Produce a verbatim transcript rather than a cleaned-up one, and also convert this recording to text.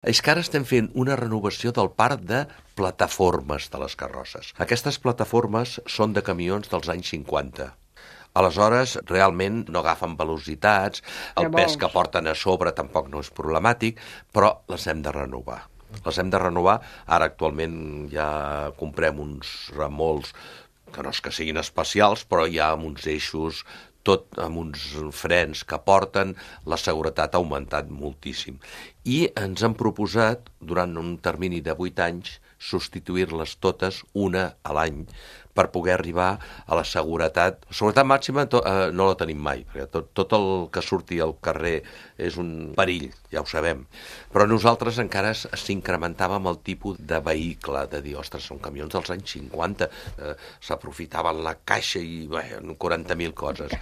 És que ara estem fent una renovació del parc de plataformes de les carrosses. Aquestes plataformes són de camions dels anys cinquanta. Aleshores, realment no agafen velocitats, el pes que porten a sobre tampoc no és problemàtic, però les hem de renovar. Les hem de renovar. Ara actualment ja comprem uns remolcs que no és que siguin especials, però ja amb uns eixos, tot amb uns frens que porten, la seguretat ha augmentat moltíssim. I ens han proposat, durant un termini de vuit anys, substituir-les totes una a l'any per poder arribar a la seguretat. La seguretat màxima to, eh, no la tenim mai, perquè tot, tot el que surti al carrer és un perill, ja ho sabem. Però nosaltres encara s'incrementàvem el tipus de vehicle, de dir, ostres, són camions dels anys cinquanta, eh, s'aprofitaven la caixa i bé, quaranta mil coses.